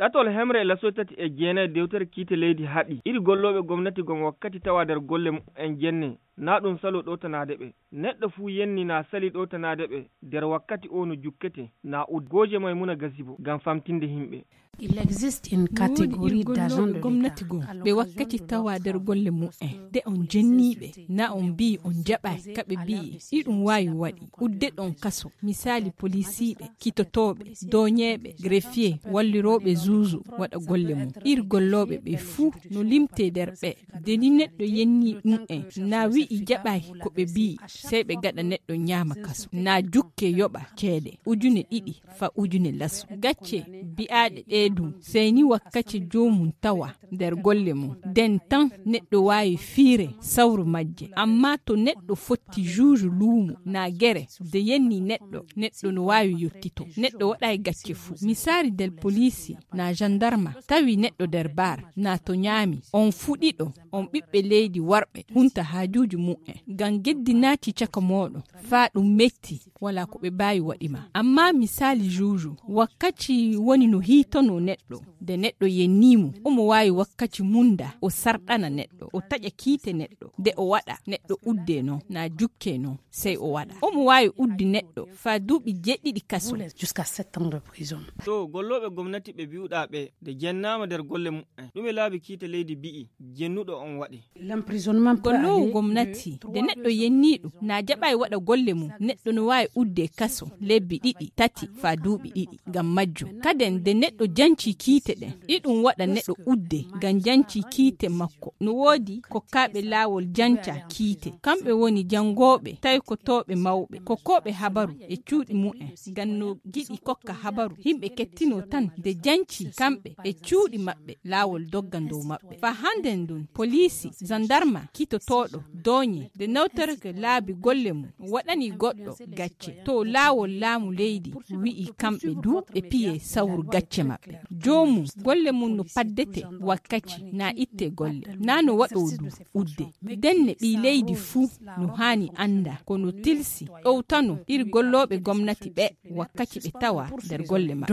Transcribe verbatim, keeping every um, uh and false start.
Ɗatol hemre e lasoy tati e jeenay dewtere kiite leydi haɗi iri gollooɓe gomnati gom wakkati tawa nder golle mumen jenne, na ɗum salo ɗowtanaade ɓe. Neɗɗo fuu yenni na sali ɗowtanaade ɓe nder wakkati o no jukkete na udde. Gooje Maymuna Gazibo ngam famtinde himɓe. No woodi iri gollooɓe gomnati gom ɓe wakkati tawa nder golle mumen de on jenniiɓe na on mbiyi on jaɓaay ka ɓe mbiyi iɗum waawi waɗi udde ɗon kaso. Misaali polisiiɓe, kitotooɓe, dooñeeɓe, greffier, wallirooɓe zuuzu waɗa golle mum. Iri gollooɓe ɓe fuu no limtee nder ɓe. De ni neɗɗo yennii ɗum'en na wi'i jaɓaay ko ɓe mbi'i, sey ɓe gaɗa neɗɗo ñaama kaso na jukke yoɓa ceede ujune ɗiɗi fa ujune laso. Gacce bi'aaɗe ɗee dum sey ni wakkati joomum tawa nder golle mum, nden tan neɗɗo waawi fiire sawru majje. Amma to neɗɗo fotti juuju luumo na gere de yenni neɗɗo, neɗɗo no waawi yottito. Neɗɗo waɗaay gacce fuu. Misaali nder poliisi na jandarma tawi neɗɗo nder baar na to ñaami, on fuu ɗiɗo on ɓiɓɓe leydi warɓe hunta haajuuji mumen. Ngam geddi naati caka mooɗon faa ɗum metti, walaa ko ɓe mbaawi waɗi ma. Amma misaali juuju wakkati woni no hiitonoo neɗɗo. Nde neɗɗo yennii mo omo waawi wakkati mum nda o sarɗana neɗɗo, o taƴa kiite neɗɗo nde o waɗa neɗɗo uddee noon na jukkee noon, sey o waɗa omo waawi uddi neɗɗo faa duuɓi jeeɗiɗi kaso. To gollooɓe gomnati ɓe mbi'uɗaa ɓe nde jennaama nder golle mumen, ɗume laabi kiite leydi mbi'i jennuɗo on waɗi? Golloowo gomnati nde neɗɗo yennii ɗum na jaɓaay waɗa golle mum, neɗɗo no waawi uddee kaso lebbi ɗiɗi tati faa duuɓi ɗiɗi. Ngam majjum kaden nde neɗɗo jancii kiite ɗen iɗum waɗa neɗɗo uddee ngam jancii kiite makko. No woodi kokkaaɓe laawol janca kiite, kamɓe woni janngooɓe taykotooɓe mawɓe kokkooɓe habaru e cuuɗi mumen. Ngam no giɗi kokka habaru yimɓe kettinoo tan nde jancii kamɓe e cuuɗi maɓɓe laawol dogga dow maɓɓe. Faa hannden ndun poliisi, jandarma, kitotooɗo, dooñe nde nawtorke laabi golle mum waɗanii goɗɗo gacce to laawol laamu leydi wi'i kamɓe duu ɓe piyee sawru gacce maɓɓe. Joomum golle mum no paddetee wakkati na ittee golle na no waɗoo duu uddee. Ndenne ɓii leydi fuu no haani annda ko no tilsi ɗowtanoo iri gollooɓe gomnati ɓee wakkati ɓe tawaa nder golle maɓɓe.